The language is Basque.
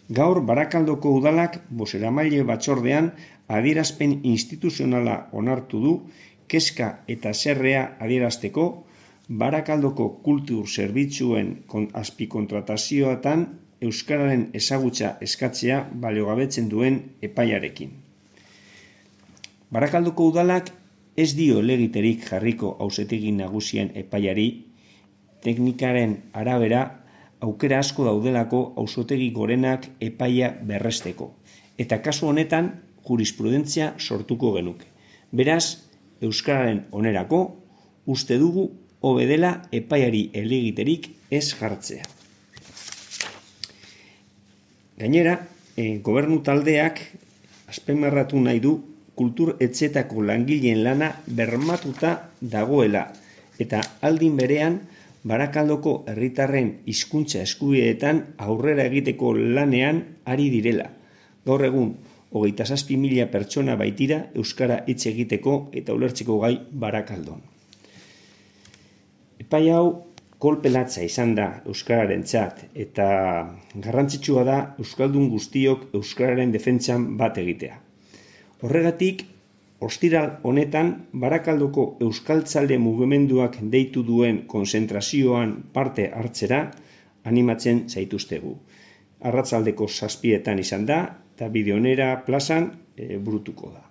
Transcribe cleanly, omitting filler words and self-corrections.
Gaur Barakaldoko udalak bozeramaile batzordean adierazpen instituzionala onartu du kezka eta haserrea adierazteko Barakaldoko kultur zerbitzuen azpikontratazioetan euskararen ezagutza eskatzea baliogabetzen duen epaiarekin. Barakaldoko udalak ez dio helegiterik jarriko auzitegi nagusien epaiari, teknikaren arabera aukera asko daudelako auzitegi gorenak epaia berresteko, eta kasu honetan jurisprudentzia sortuko genuke. Beraz, euskararen onerako uste dugu hobe dela epaiari helegiterik ez jartzea. Gainera, gobernu taldeak azpimarratu nahi du kultur etxetako langileen lana bermatuta dagoela eta aldin berean Barakaldoko herritarren hizkuntza eskubideetan aurrera egiteko lanean ari direla. Gaur egun, 27.000 pertsona baitira euskara hitz egiteko eta ulertzeko gai Barakaldon. Epai hau kolpe latza izan da euskararentzat eta garrantzitsua da euskaldun guztiok euskararen defentsan bat egitea. Horregatik, ostiral honetan Barakaldoko euskaltzale mugimenduak deitu duen konzentrazioan parte hartzera animatzen zaituztegu. Arratsaldeko 7:00 izan da eta Bideonera plazan burutuko da.